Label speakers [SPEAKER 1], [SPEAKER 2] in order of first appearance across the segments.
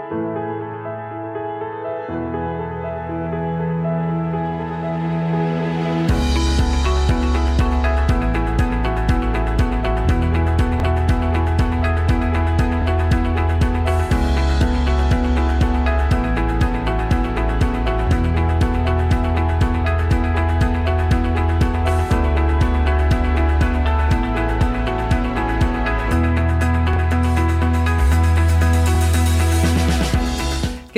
[SPEAKER 1] Què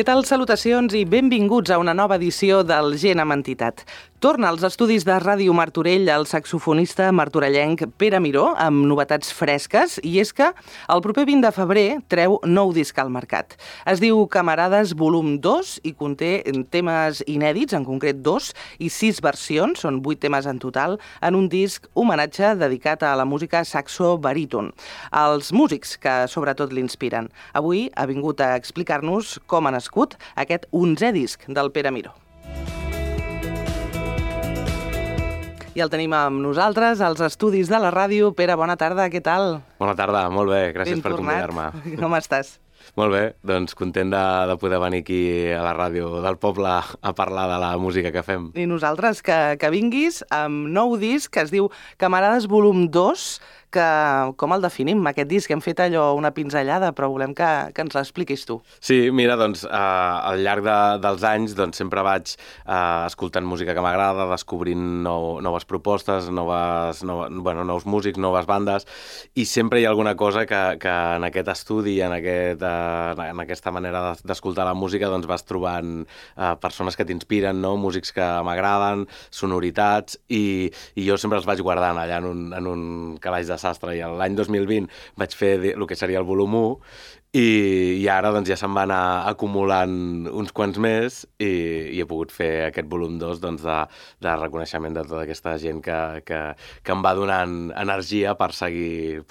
[SPEAKER 1] tal? Salutacions i benvinguts a una nova edició del Gent amb Entitat. Torna als estudis de Ràdio Martorell el saxofonista martorellenc Pere Miró amb novetats fresques, i és que el proper 20 de febrer treu nou disc al mercat. Es diu Camarades volum 2 i conté temes inèdits, en concret 2 i 6 versions, són 8 temes en total, en un disc homenatge dedicat a la música saxo-baríton, als músics que sobretot l'inspiren. Avui ha vingut a explicar-nos com ha nascut aquest 11è disc del Pere Miró. I el tenim amb nosaltres, als estudis de la ràdio. Pere, bona tarda, què tal?
[SPEAKER 2] Bona tarda, molt bé, gràcies per convidar-me.
[SPEAKER 1] Com estàs?
[SPEAKER 2] Molt bé, doncs content de poder venir aquí a la ràdio del poble a parlar de la música que fem.
[SPEAKER 1] I nosaltres que vinguis amb nou disc que es diu Camarades volum 2, que com el definim, aquest disc? Hem fet allò una pinzellada, però volem que ens l'expliquis tu.
[SPEAKER 2] Sí, mira, doncs al llarg dels anys doncs, sempre vaig escoltant música que m'agrada, descobrint noves propostes, nous músics, noves bandes, i sempre hi ha alguna cosa que en aquest estudi, en aquesta manera d'escoltar la música, doncs vas trobant persones que t'inspiren, no? Músics que m'agraden, sonoritats, i jo sempre els vaig guardant allà en un calaix de sastre, i l'any 2020 vaig fer el que seria el volum 1, i ara doncs, ja se'n va anar acumulant uns quants més, i he pogut fer aquest volum 2 doncs, de reconeixement de tota aquesta gent que em va donant energia per seguir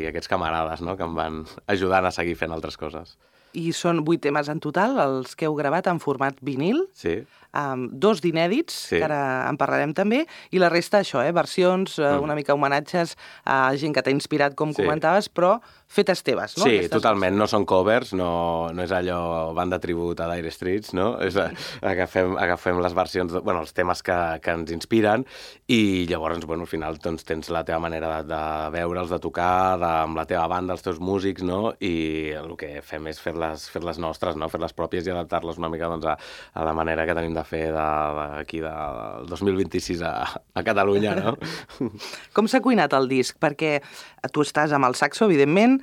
[SPEAKER 2] aquests camarades, no? Que em van ajudant a seguir fent altres coses.
[SPEAKER 1] I són 8 temes en total, els que heu gravat en format vinil.
[SPEAKER 2] Sí.
[SPEAKER 1] 2 d'inèdits,
[SPEAKER 2] sí,
[SPEAKER 1] que ara en parlarem també, i la resta, això, versions, una mica homenatges a gent que t'ha inspirat, com comentaves, però fetes teves, no?
[SPEAKER 2] Sí, totalment, no són covers, no és allò banda tribut a Dire Straits, no? Agafem les versions, els temes que ens inspiren, i llavors, al final, doncs, tens la teva manera de veure'ls, de tocar, amb la teva banda, els teus músics, no? I el que fem és fer-les nostres, no? Fer-les pròpies i adaptar-les una mica doncs, a la manera que tenim de fer d'aquí del 2026 a Catalunya, no?
[SPEAKER 1] Com s'ha cuinat el disc? Perquè tu estàs amb el saxo, evidentment,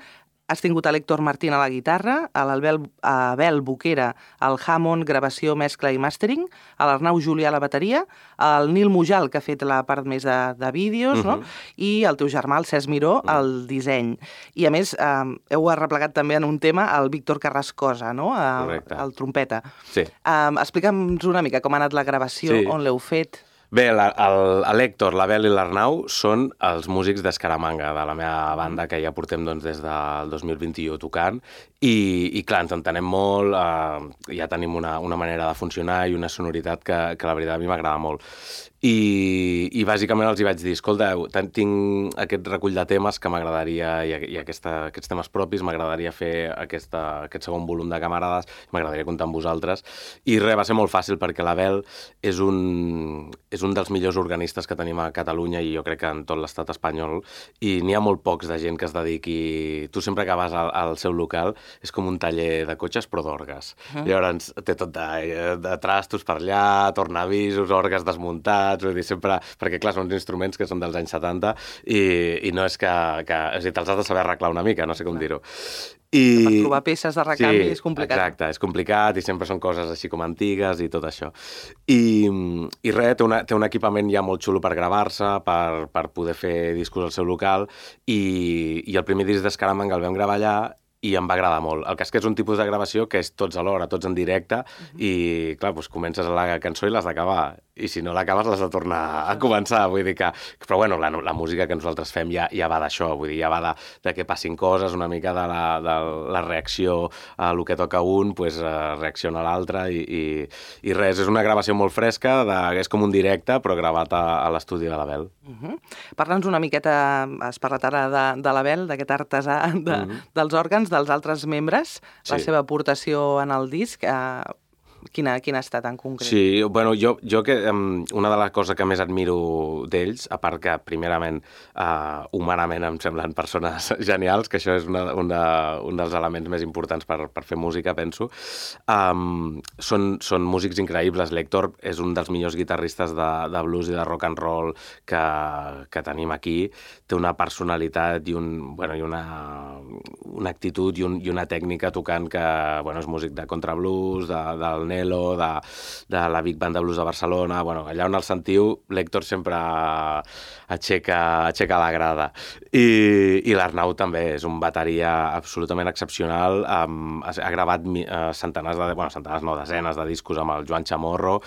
[SPEAKER 1] has tingut a l'Héctor Martín a la guitarra, a l'Abel Boquera al Hammond, gravació, mescla i màstering, a l'Arnau Julià a la bateria, al Nil Mujal, que ha fet la part més de vídeos, no? I el teu germà, el Cesc Miró, el disseny. I a més, heu arreplegat també en un tema el Víctor Carrascosa, no? El trompeta.
[SPEAKER 2] Sí.
[SPEAKER 1] Explica'ns una mica com ha anat la gravació, on l'heu fet.
[SPEAKER 2] Bé, l'Héctor, l'Abel i l'Arnau són els músics d'Escaramanga, de la meva banda, que ja portem des del 2021 tocant, i clar, ens entenem molt, ja tenim una manera de funcionar i una sonoritat que la veritat a mi m'agrada molt. I bàsicament els hi vaig dir, escolta, tinc aquest recull de temes que m'agradaria, i aquests temes propis, m'agradaria fer aquest segon volum de Camarades, m'agradaria comptar amb vosaltres, i res, va ser molt fàcil perquè l'Abel és un dels millors organistes que tenim a Catalunya, i jo crec que en tot l'estat espanyol, i n'hi ha molt pocs de gent que es dediqui. Tu sempre que vas al seu local és com un taller de cotxes però d'orgues. Llavors té tot de trastos per allà, tornavisos, orgues desmuntats, vull dir, sempre, perquè clar, són uns instruments que són dels anys 70 i no és que és a dir, te'ls has de saber arreglar una mica, no sé com dir-ho.
[SPEAKER 1] Per trobar peces de recanvi és complicat.
[SPEAKER 2] Exacte, és complicat i sempre són coses així com antigues i tot això. I res, té un equipament ja molt xulo per gravar-se, per poder fer discos al seu local, i el primer disc d'Escaramanga el vam gravar allà i em va agradar molt. El cas que és un tipus de gravació que és tots alhora, tots en directe, i clar, doncs comences la cançó i l'has d'acabar. si no l'acabes l'has de tornar a començar, vull dir que... Però bueno, la música que nosaltres fem ja va d'això, vull dir, ja va de que passin coses, una mica de la reacció a el que toca un, pues, reacciona l'altre i res, és una gravació molt fresca, és com un directe, però gravat a l'estudi de l'Abel.
[SPEAKER 1] Parla'ns una miqueta, has parlat ara de l'Abel, d'aquest artesà dels òrgans, dels altres membres, la seva aportació en el disc, quina ha estat en concret?
[SPEAKER 2] Sí, bueno, jo que una de les coses que més admiro d'ells, a part que primerament humanament em semblen persones genials, que això és un dels elements més importants per fer música, penso, són músics increïbles. L'Héctor és un dels millors guitarristes de blues i de rock and roll que tenim aquí. Té una personalitat i una actitud i una tècnica tocant que és músic de contrablues, del Nelo, de la Big Band de Blues de Barcelona. Allà on el sentiu, l'Héctor sempre aixeca la grada. I l'Arnau també és un bateria absolutament excepcional. Ha gravat desenes de discos amb el Joan Chamorro.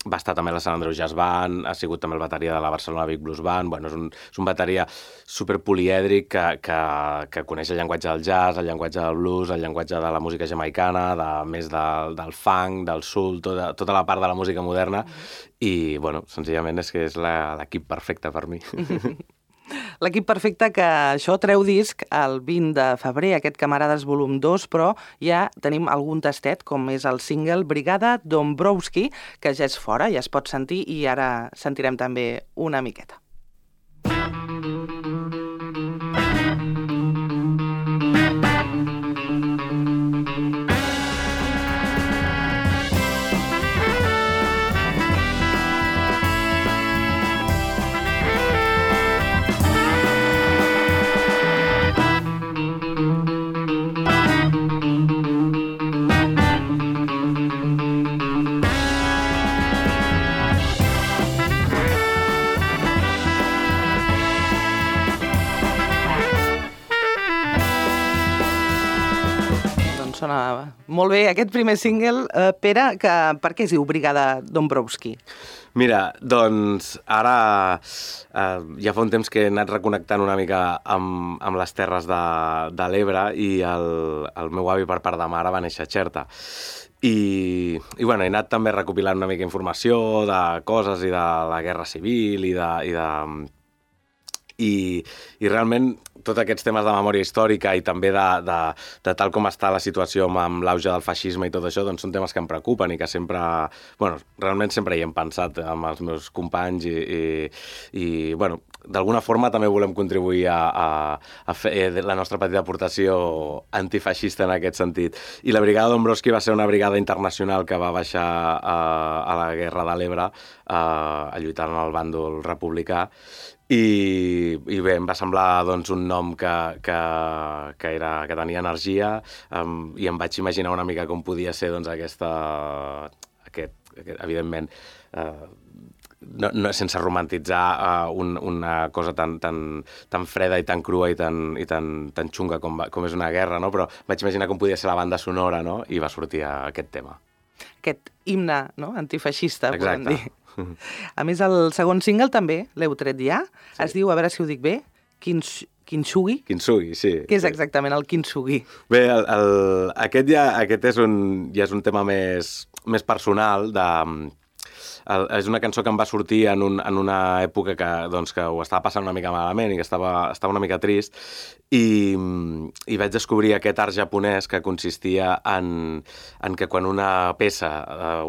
[SPEAKER 2] Va estar també a la Sant Andreu Jazz Band, ha sigut també el bateria de la Barcelona Big Blues Band. És un bateria superpolièdric que coneix el llenguatge del jazz, el llenguatge del blues, el llenguatge de la música jamaicana, més del funk, del soul, tota la part de la música moderna. I, senzillament és que és l'equip perfecte per mi.
[SPEAKER 1] L'equip perfecte que això treu disc el 20 de febrer, aquest Camarades volum 2, però ja tenim algun tastet, com és el single Brigada Dombrowski, que ja és fora, ja es pot sentir, i ara sentirem també una miqueta. Sona molt bé aquest primer single. Pere, per què es diu Brigada Dombrowski?
[SPEAKER 2] Mira, doncs ara ja fa un temps que he anat reconnectant una mica amb les terres de l'Ebre i el meu avi per part de mare va néixer a Xerta. I he anat també recopilant una mica informació de coses i de la Guerra Civil i realment tots aquests temes de memòria històrica i també de tal com està la situació amb l'auge del feixisme i tot això, doncs són temes que em preocupen i que sempre, realment sempre hi hem pensat amb els meus companys i d'alguna forma també volem contribuir a fer la nostra petita aportació antifeixista en aquest sentit. I la Brigada Dombrowski va ser una brigada internacional que va baixar a la Guerra de l'Ebre a lluitar en el bàndol republicà. I bé, em va semblar un nom que tenia energia i em vaig imaginar una mica com podia ser aquest, evidentment, sense romantitzar una cosa tan freda i tan crua i tan xunga com és una guerra, no? Però vaig imaginar com podia ser la banda sonora, no? I va sortir aquest tema.
[SPEAKER 1] Aquest himne, no? Antifeixista,
[SPEAKER 2] podem
[SPEAKER 1] dir. A més, el segon single també l'heu tret ja. Sí. Es diu, a veure si ho dic bé, Kintsugi?
[SPEAKER 2] Kintsugi, sí.
[SPEAKER 1] Què és exactament el Kintsugi?
[SPEAKER 2] Bé, aquest ja és un tema més personal és una cançó que em va sortir en una època que ho estava passant una mica malament i que estava una mica trist i vaig descobrir aquest art japonès que consistia en que quan una peça,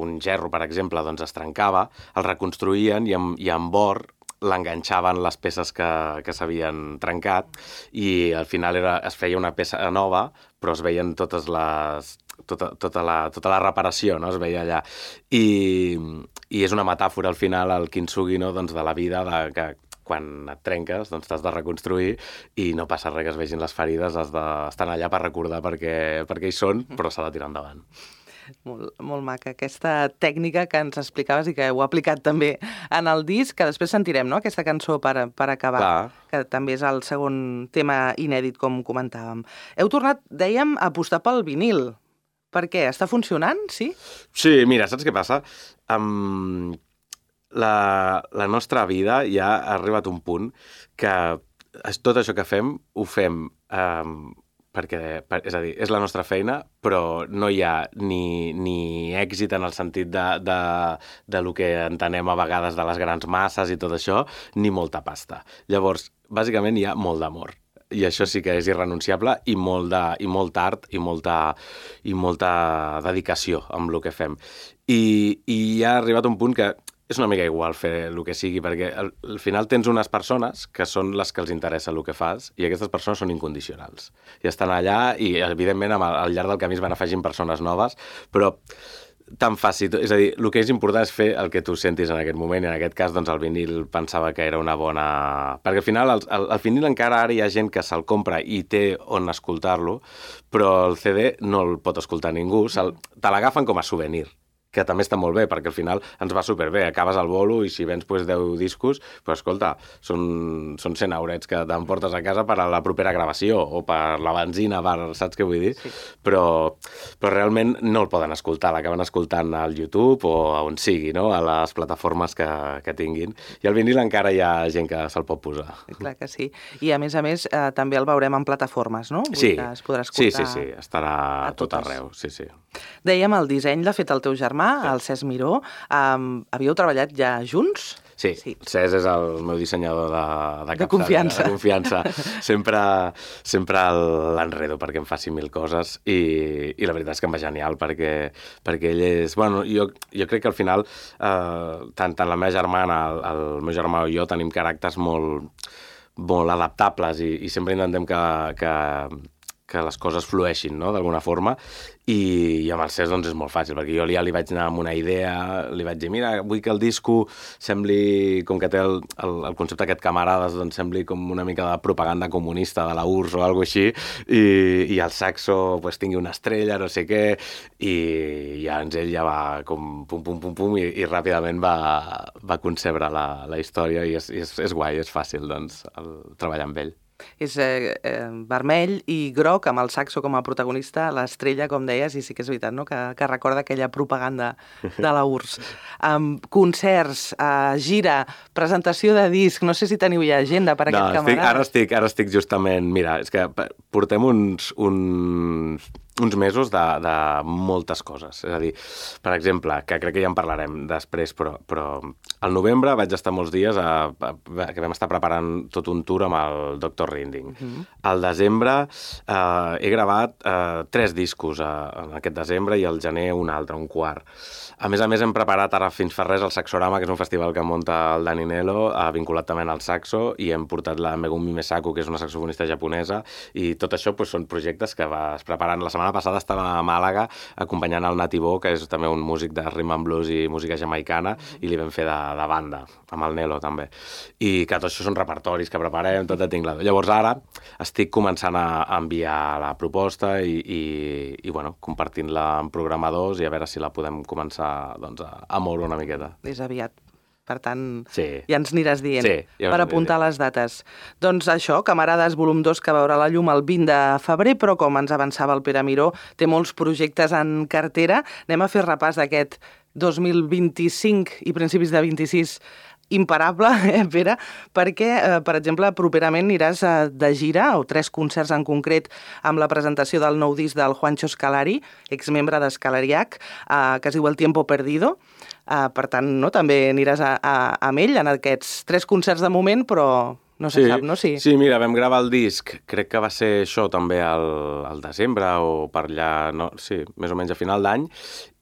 [SPEAKER 2] un gerro, per exemple, es trencava, el reconstruïen i en bord l'enganxaven les peces que s'havien trencat i al final es feia una peça nova, però es veien totes les... Tota la reparació, no? Es veia allà. I és una metàfora, al final, el kintsugi, no? De la vida, que quan et trenques t'has de reconstruir i no passa res que es vegin les ferides, has d'estar allà per recordar perquè hi són, però s'ha de tirar endavant.
[SPEAKER 1] Molt maca, aquesta tècnica que ens explicaves i que heu aplicat també en el disc, que després sentirem, no?, aquesta cançó per acabar, clar, que també és el segon tema inèdit, com comentàvem. Heu tornat, dèiem, a apostar pel vinil. Per què? Està funcionant, sí?
[SPEAKER 2] Sí, mira, saps què passa? La nostra vida ja ha arribat a un punt que tot això que fem, ho fem és a dir, és la nostra feina, però no hi ha ni èxit en el sentit de lo que entenem a vegades de les grans masses i tot això, ni molta pasta. Llavors, bàsicament hi ha molt d'amor. I això sí que és irrenunciable i molt art i molta dedicació amb el que fem. I ha arribat un punt que és una mica igual fer el que sigui, perquè al final tens unes persones que són les que els interessa el que fas i aquestes persones són incondicionals. I estan allà i, evidentment, al llarg del camí es van afegint persones noves, però tan fàcil. És a dir, el que és important és fer el que tu sentis en aquest moment i en aquest cas doncs, el vinil pensava que era una bona... Perquè al final el vinil encara ara hi ha gent que se'l compra i té on escoltar-lo, però el CD no el pot escoltar ningú, te l'agafen com a souvenir, que també està molt bé, perquè al final ens va superbé. Acabes al bolo i si vens 10 discos, escolta, són 100 eurets que t'emportes a casa per a la propera gravació o per la benzina, saps què vull dir? Sí. Però realment no el poden escoltar, l'acaben escoltant al YouTube o on sigui, no? A les plataformes que tinguin. I al vinil encara hi ha gent que se'l pot posar.
[SPEAKER 1] Clar que sí. I a més, també el veurem en plataformes, no?
[SPEAKER 2] Sí,
[SPEAKER 1] es podrà escoltar
[SPEAKER 2] estarà a tot arreu. Sí.
[SPEAKER 1] Dèiem, el disseny l'ha fet el teu germà, el Cesc Miró. Havíeu treballat ja junts?
[SPEAKER 2] Sí. Cesc és el meu dissenyador
[SPEAKER 1] de confiança.
[SPEAKER 2] De confiança. Sempre l'enredo perquè em faci 1000 coses i la veritat és que em va genial perquè ell és... Bueno, jo crec que al final tant la meva germana, el meu germà i jo tenim caràcters molt adaptables i sempre intentem que les coses flueixin, no?, d'alguna forma, i amb el Cesc doncs és molt fàcil, perquè jo ja li vaig anar amb una idea, li vaig dir, mira, vull que el disco sembli, com que té el concepte aquest camarades, doncs sembli com una mica de propaganda comunista de la URSS o alguna cosa així, i el saxo pues, tingui una estrella, no sé què, i llavors ell ja va com pum, i ràpidament va concebre la història, i és guai, és fàcil, doncs, treballar amb ell.
[SPEAKER 1] És vermell i groc, amb el saxo com a protagonista, l'estrella, com deies, i sí que és veritat, no?, que recorda aquella propaganda de la URSS. Concerts, gira, presentació de disc, no sé si teniu ja agenda per aquest camarada.
[SPEAKER 2] Ara estic justament... Mira, és que portem uns mesos de moltes coses. És a dir, per exemple, que crec que ja en parlarem després, però al novembre vaig estar molts dies que vam estar preparant tot un tour amb el Dr. Rinding. Al desembre he gravat 3 discos en aquest desembre i al gener un altre, un quart. A més, hem preparat ara fins fa res el Saxorama, que és un festival que munta el Dani Nelo, vinculat també al saxo, i hem portat la Megumi Mesaku, que és una saxofonista japonesa, i tot això són projectes que vas preparant. La setmana passada estava a Màlaga acompanyant el Nati Bo, que és també un músic de rhythm and blues i música jamaicana, i li vam fer de banda, amb el Nelo també. I que tot això són repertoris que preparem, tot de tinglado. Llavors ara estic començant a enviar la proposta i bueno, compartint-la amb programadors i a veure si la podem començar doncs, a moure una miqueta.
[SPEAKER 1] És aviat. Per tant,
[SPEAKER 2] sí.
[SPEAKER 1] Ja ens aniràs dient,
[SPEAKER 2] ja
[SPEAKER 1] per apuntar les dates. Doncs això, Camarades volum 2, que veurà la llum el 20 de febrer, però com ens avançava el Pere Miró, té molts projectes en cartera. Anem a fer repàs d'aquest 2025 i principis de 26 imparable, Pere, perquè, per exemple, properament aniràs de gira, o 3 concerts en concret, amb la presentació del nou disc del Juancho Scalari, exmembre d'Escalariac, que es diu El Tiempo Perdido. Per tant, no, també aniràs amb ell en aquests 3 concerts de moment, però no se sap, no? Sí,
[SPEAKER 2] mira, vam gravar el disc, crec que va ser això també al desembre o per allà, no, sí, més o menys a final d'any,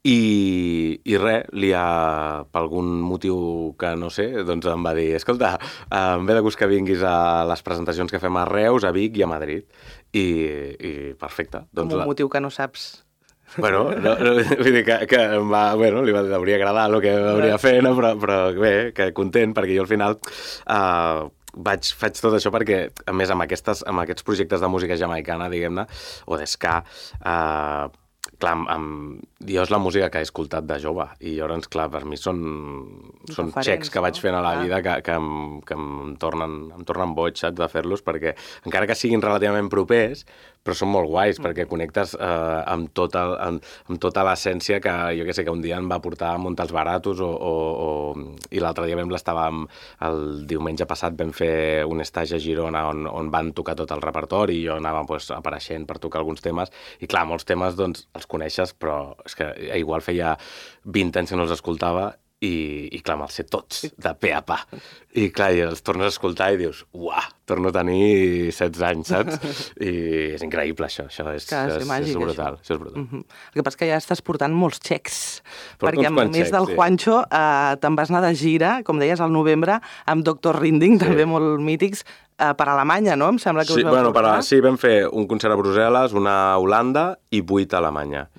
[SPEAKER 2] i res, per algun motiu que no sé, doncs em va dir, escolta, em ve de gust que vinguis a les presentacions que fem a Reus, a Vic i a Madrid, i perfecte.
[SPEAKER 1] Amb un motiu que no saps...
[SPEAKER 2] Bueno, vull dir que li hauria agradar el que hauria de fer, no? Però bé, que content, perquè jo al final faig tot això perquè, a més, amb aquests projectes de música jamaicana, diguem-ne, o d'esca, clar, jo és la música que he escoltat de jove i llavors, clar, per mi són xecs que vaig fent a la vida que em tornen boig, saps, de fer-los, perquè encara que siguin relativament propers, però són molt guais, perquè connectes amb tota l'essència que, jo què sé, que un dia em va portar a muntar els baratos i l'altre dia el diumenge passat vam fer un estatge a Girona on van tocar tot el repertori i jo anava apareixent per tocar alguns temes i clar, molts temes doncs els coneixes, però és que igual feia 20 anys que no els escoltava i clar, me'ls sé tots, de pe a pa. I clar, els tornes a escoltar i dius, uah, torno a tenir 16 anys, saps? I és increïble, això és brutal. Això és brutal.
[SPEAKER 1] El que passa és que ja estàs portant molts xecs, perquè a més del Juancho te'n vas anar de gira, com deies, al novembre, amb Dr. Rinding, també molt mítics, per Alemanya, no? Em sembla que us vau portar.
[SPEAKER 2] Sí, vam fer un concert a Brussel·les, una a Holanda i 8 a Alemanya.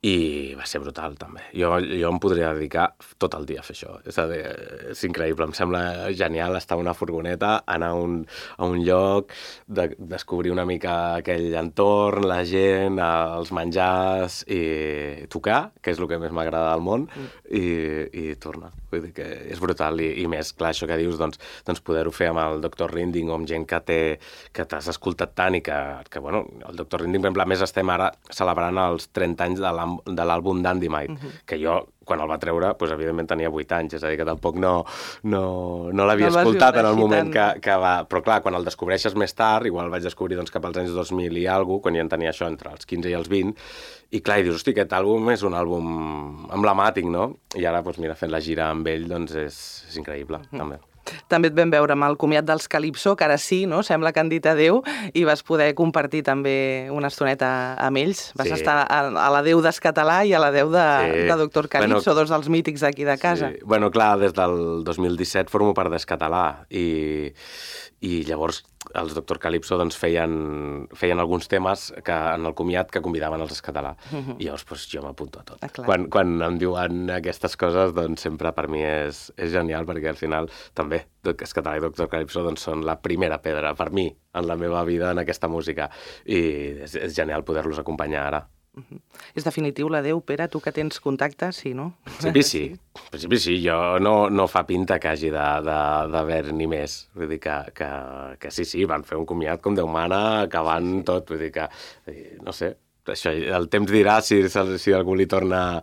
[SPEAKER 2] I va ser brutal, també. Jo em podria dedicar tot el dia a fer això. És increïble, em sembla genial estar en una furgoneta, anar a un lloc, descobrir una mica aquell entorn, la gent, els menjars, i tocar, que és el que més m'agrada del món, i tornar. Vull dir que és brutal. I més, clar, això que dius, doncs poder-ho fer amb el Dr. Rinding o amb gent que t'has escoltat tant i que bueno, el Dr. Rinding, per exemple, a més estem ara celebrant els 30 anys de l'àlbum Dynamite, que jo, quan el va treure, doncs, evidentment tenia 8 anys, és a dir, que tampoc no l'havia escoltat en el moment que va... Però clar, quan el descobreixes més tard, igual vaig descobrir doncs, cap als anys 2000 i alguna cosa, quan ja en tenia això entre els 15 i els 20, i clar, i dius, hosti, aquest àlbum és un àlbum emblemàtic, no? I ara, doncs, mira, fent la gira amb ell, doncs és increïble, també.
[SPEAKER 1] També et vam veure amb el comiat dels Calypso, que ara sí, no? Sembla que han dit adéu, i vas poder compartir també una estoneta amb ells. Vas estar a l'adéu d'Escatalà i a l'adéu de Dr. Calypso, dos dels mítics d'aquí de casa.
[SPEAKER 2] Sí. Bueno, clar, des del 2017 formo part d'Escatalà i llavors els Dr. Calypso doncs, feien alguns temes en el comiat que convidaven els Escatalà. I llavors doncs, jo m'apunto a tot. Quan em diuen aquestes coses, doncs sempre per mi és genial, perquè al final també Escatalà i Dr. Calypso doncs, són la primera pedra per mi en la meva vida en aquesta música. I és genial poder-los acompanyar ara.
[SPEAKER 1] És definitiu l'adéu, Pere? Tu que tens contacte, sí, no?
[SPEAKER 2] En principi sí. Jo no fa pinta que hagi d'haver-n'hi més. Vull dir que sí, van fer un comiat com Déu mana, acabant tot. Vull dir que, no sé, això, el temps dirà si algú li torna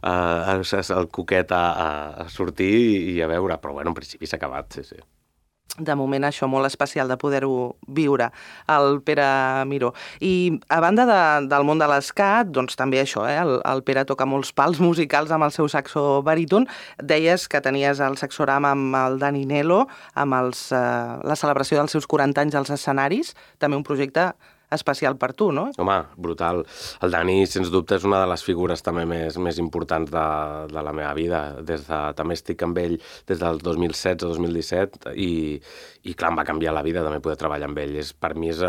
[SPEAKER 2] el coquet a sortir i a veure, però bueno, en principi s'ha acabat, sí.
[SPEAKER 1] De moment això molt especial de poder-ho viure, el Pere Miró. I a banda del món de l'escat, doncs també això, el Pere toca molts pals musicals amb el seu saxo baríton. Deies que tenies el saxoram amb el Dani Nelo, amb la celebració dels seus 40 anys als escenaris, també un projecte especial per tu, no?
[SPEAKER 2] Home, brutal. El Dani, sens dubte, és una de les figures també més importants de la meva vida. També estic amb ell des del 2016-2017 i clar, em va canviar la vida també poder treballar amb ell. Per mi és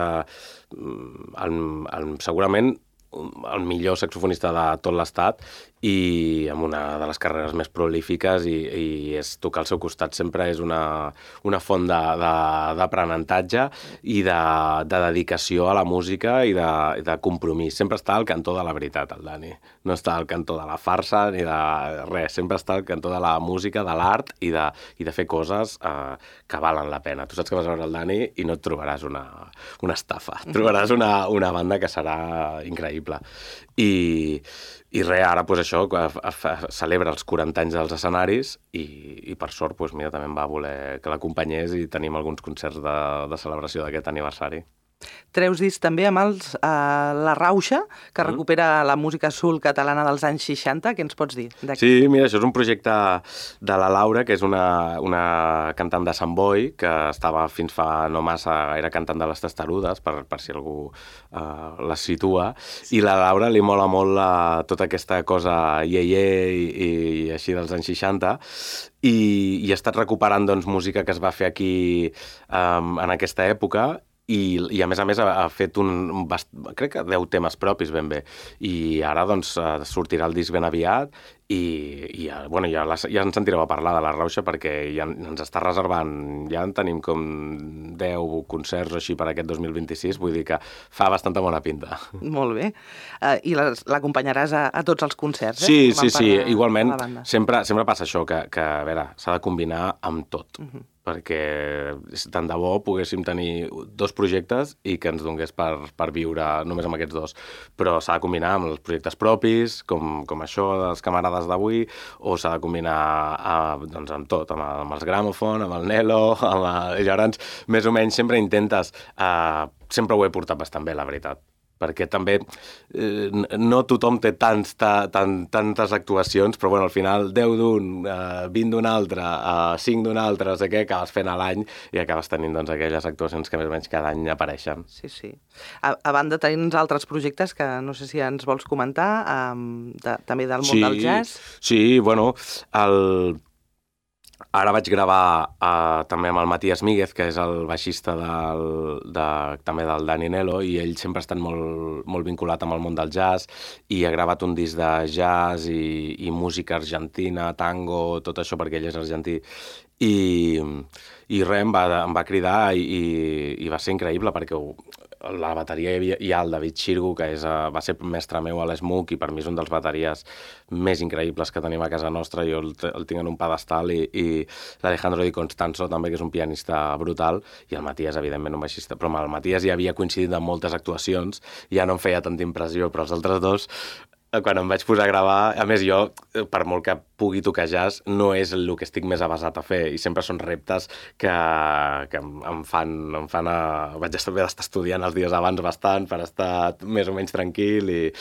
[SPEAKER 2] segurament el millor saxofonista de tot l'estat i amb una de les carreres més prolífiques i tocar al seu costat sempre és una font d'aprenentatge i de dedicació a la música i de compromís. Sempre està al cantó de la veritat, el Dani. No està al cantó de la farsa ni de res. Sempre està al cantó de la música, de l'art i de fer coses que valen la pena. Tu saps que vas a veure el Dani i no et trobaràs una estafa. Et trobaràs una banda que serà increïble. I res, ara doncs això, celebra els 40 anys dels escenaris i per sort, doncs mira, també em va voler que l'acompanyés i tenim alguns concerts de celebració d'aquest aniversari.
[SPEAKER 1] Treus disc també amb La Rauxa, que recupera la música soul catalana dels anys 60. Què ens pots dir d'aquí?
[SPEAKER 2] Sí, mira, això és un projecte de la Laura, que és una cantant de Sant Boi, que estava fins fa no massa, era cantant de les Testarudes, per si algú les situa, i la Laura li mola molt tota aquesta cosa ieié i així dels anys 60, i ha estat recuperant doncs, música que es va fer aquí en aquesta època, i a més ha fet crec que 10 temes propis ben bé, i ara doncs sortirà el disc ben aviat i bueno, ja ens sentireu a parlar de La Rauxa perquè ja ens està reservant, ja en tenim com 10 concerts o així per aquest 2026, vull dir que fa bastanta bona pinta.
[SPEAKER 1] Molt bé. I l'acompanyaràs a tots els concerts,
[SPEAKER 2] Sí, igualment, sempre passa això, que a veure, s'ha de combinar amb tot. perquè tant de bo poguéssim tenir 2 projectes i que ens donés per viure només amb aquests 2. Però s'ha de combinar amb els projectes propis, com això dels camarades d'avui, o s'ha de combinar doncs, amb tot, amb els Gramophone, amb el Nelo, i llavors més o menys sempre intentes... sempre ho he portat bastant bé, la veritat, perquè també no tothom té tantes actuacions, però bueno, al final 10 d'un, 20 d'un altre, 5 d'un altre, no sé què, acabes fent a l'any i acabes tenint doncs, aquelles actuacions que més o menys cada any apareixen.
[SPEAKER 1] Sí, sí. A banda tens altres projectes que no sé si ens vols comentar, també del món del jazz.
[SPEAKER 2] Sí, bueno, ara vaig gravar també amb el Matías Míguez, que és el baixista també del Dani Nelo, i ell sempre ha estat molt vinculat amb el món del jazz i ha gravat un disc de jazz i música argentina, tango, tot això, perquè ell és argentí. I res, em va cridar i va ser increïble, perquè la bateria hi ha el David Xirgu, que va ser mestre meu a l'Smook i per mi és un dels bateries més increïbles que tenim a casa nostra. Jo el tinc en un pedestal i l'Alejandro Di Constanzo també, que és un pianista brutal, i el Matías, evidentment, un baixista. Però amb el Matías ja havia coincidit en moltes actuacions, ja no em feia tanta impressió, però els altres dos, quan em vaig posar a gravar, a més jo, per molt que pugui tocar jazz, no és el que estic més avasat a fer, i sempre són reptes que em fan vaig haver d'estar estudiant els dies abans bastant per estar més o menys tranquil i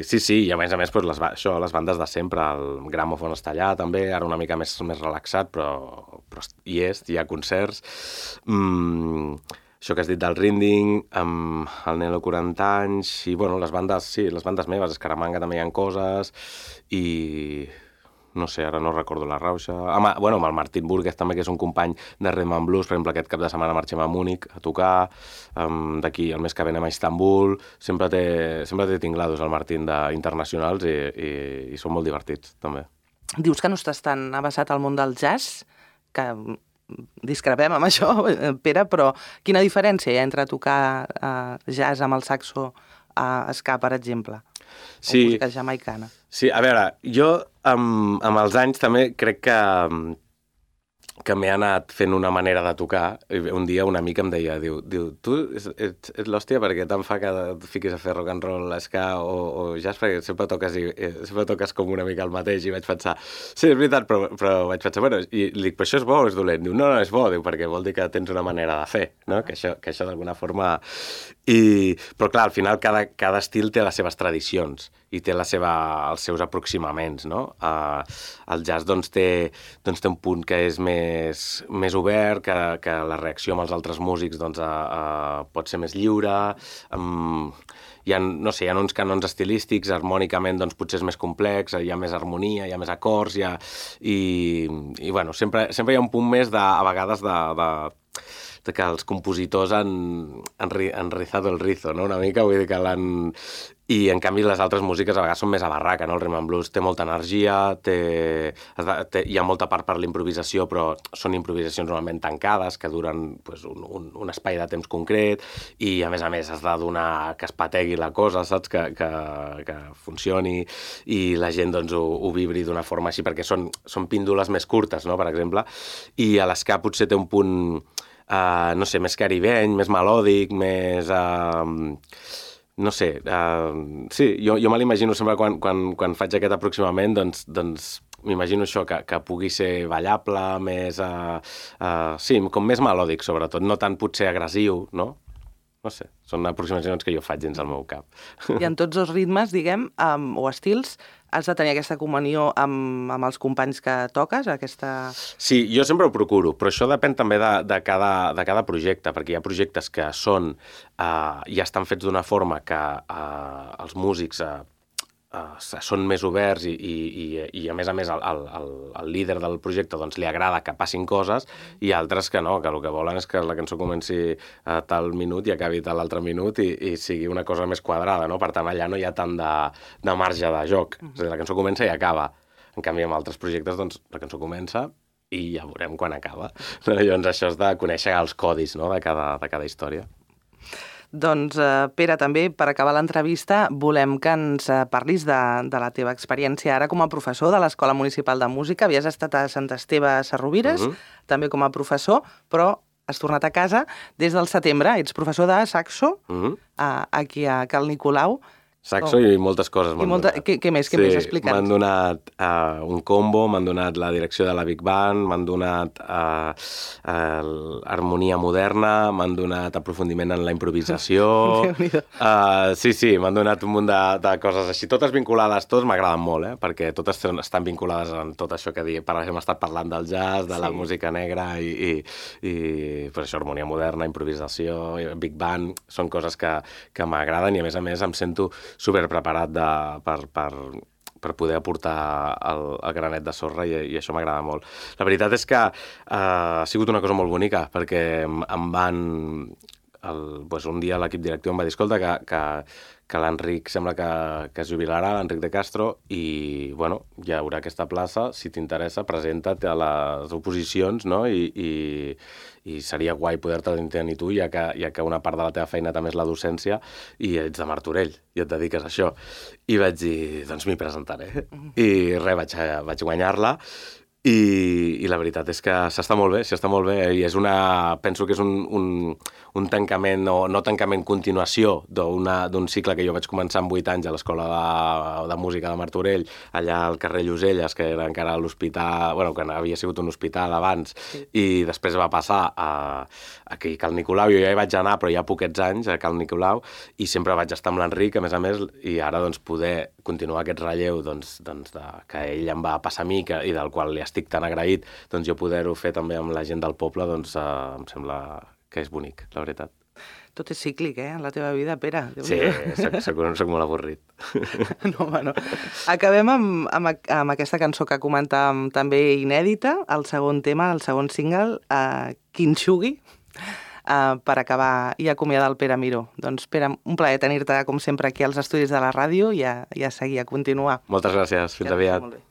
[SPEAKER 2] sí, i a més doncs, les bandes de sempre, el Gramophone està allà també, ara una mica més relaxat, però hi ha concerts. Això que has dit del Rinding, amb el Nelo 40 anys, i bueno, les bandes meves, Escaramanga també hi ha coses, i no sé, ara no recordo la Rauxa. Amb el Martín Burguez també, que és un company de Rhythm and Blues, per exemple, aquest cap de setmana marxem a Múnich a tocar, d'aquí el mes que ve anem a Istanbul, sempre té tinglados el Martín d'internacionals i són molt divertits, també.
[SPEAKER 1] Dius que no estàs tan avasat al món del jazz, que discrepem amb això, Pere, però quina diferència hi ha entre tocar jazz amb el saxo a ska, per exemple, o música jamaicana?
[SPEAKER 2] Sí, a veure, jo amb els anys també crec que m'he anat fent una manera de tocar. Un dia un amic em deia, diu, tu ets l'hòstia perquè tant fa que et fiquis a fer rock and roll, ska o jazz, perquè sempre toques com una mica el mateix, i vaig pensar, sí, és veritat, però vaig pensar, bueno, i li dic, però això és bo o és dolent? Diu, no, és bo, diu, perquè vol dir que tens una manera de fer, no? Que això d'alguna forma... Però clar, al final cada estil té les seves tradicions i té els seus aproximaments, no? El jazz doncs té un punt que és més obert, que la reacció amb els altres músics doncs, pot ser més lliure, hi ha uns canons estilístics, harmònicament doncs, potser és més complex, hi ha més harmonia, hi ha més acords, i bueno, sempre hi ha un punt més a vegades que els compositors han rizado el rizo, no? Una mica, vull dir que l'han... I, en canvi, les altres músiques a vegades són més a barraca, no? El Rhythm and Blues té molta energia, hi ha molta part per l'improvisació, però són improvisacions normalment tancades, que duren pues, un espai de temps concret, i, a més, has de donar que es pategui la cosa, saps? Que funcioni, i la gent doncs, ho vibri d'una forma així, perquè són píndoles més curtes, no? Per exemple, i a l'esca potser té un punt... no sé, més caribeny, més melòdic, més... no sé, sí, jo me l'imagino sempre quan faig aquest aproximament, doncs m'imagino això, que pugui ser ballable, més... sí, com més melòdic, sobretot, no tant potser agressiu, no? No sé, són aproximacions que jo faig dins el meu cap.
[SPEAKER 1] I en tots els ritmes, diguem, o estils, has de tenir aquesta comunió amb els companys que toques, aquesta...
[SPEAKER 2] Sí, jo sempre ho procuro, però això depèn també de cada projecte, perquè hi ha projectes que ja estan fets d'una forma que els músics són més oberts i a més el líder del projecte doncs, li agrada que passin coses, i altres que no, que el que volen és que la cançó comenci a tal minut i acabi a l'altre minut i sigui una cosa més quadrada, no? Per tant, allà no hi ha tant de marge de joc. És a dir, la cançó comença i acaba. En canvi, amb altres projectes, doncs, la cançó comença i ja veurem quan acaba. Llavors, això és de conèixer els codis, no? de cada història.
[SPEAKER 1] Doncs, Pere, també, per acabar l'entrevista, volem que ens parlis de la teva experiència ara com a professor de l'Escola Municipal de Música. Havies estat a Sant Esteve Sesrovires, també com a professor, però has tornat a casa des del setembre. Ets professor de saxo, aquí a Cal Nicolau.
[SPEAKER 2] Saxo i moltes coses m'han donat.
[SPEAKER 1] Què més? Què més? Explica'ns.
[SPEAKER 2] M'han donat un combo, m'han donat la direcció de la Big Band, m'han donat harmonia moderna, m'han donat aprofundiment en la improvisació. Sí, m'han donat un munt de coses així, totes vinculades, totes m'agraden molt, perquè totes estan vinculades en tot això que per exemple, hem estat parlant del jazz, de la música negra i per això, harmonia moderna, improvisació, Big Band, són coses que m'agraden i a més em sento superpreparat per poder aportar el granet de sorra i això m'agrada molt. La veritat és que ha sigut una cosa molt bonica perquè em van... un dia l'equip directiu em va dir escolta, que l'Enric sembla que es jubilarà, l'Enric de Castro, i hi haurà aquesta plaça, si t'interessa, presenta't a les oposicions, no? I seria guai poder-te tenir tu, ja que una part de la teva feina també és la docència i ets de Martorell i et dediques a això. I vaig dir, doncs m'hi presentaré. I res, vaig guanyar-la. I la veritat és que s'està molt bé i penso que és un tancament o no tancament, continuació d'un cicle que jo vaig començar amb 8 anys a l'Escola de Música de Martorell, allà al carrer Lloselles, que era encara l'hospital, que havia sigut un hospital abans, i després va passar aquí a Cal Nicolau. Jo ja hi vaig anar, però ja poquets anys a Cal Nicolau, i sempre vaig estar amb l'Enric, a més, i ara poder continuar aquest relleu que ell em va passar a mi i del qual li estic tan agraït, jo poder-ho fer també amb la gent del poble, em sembla que és bonic, la veritat.
[SPEAKER 1] Tot és cíclic, en la teva vida, Pere.
[SPEAKER 2] Sí, soc molt avorrit.
[SPEAKER 1] No. Acabem amb aquesta cançó que comentàvem també inèdita, el segon tema, el segon single, Quinxugui, per acabar i acomiadar el Pere Miró. Doncs, Pere, un plaer tenir-te, com sempre, aquí als estudis de la ràdio i a seguir, a continuar.
[SPEAKER 2] Moltes gràcies. Fins aviat.
[SPEAKER 1] Molt bé.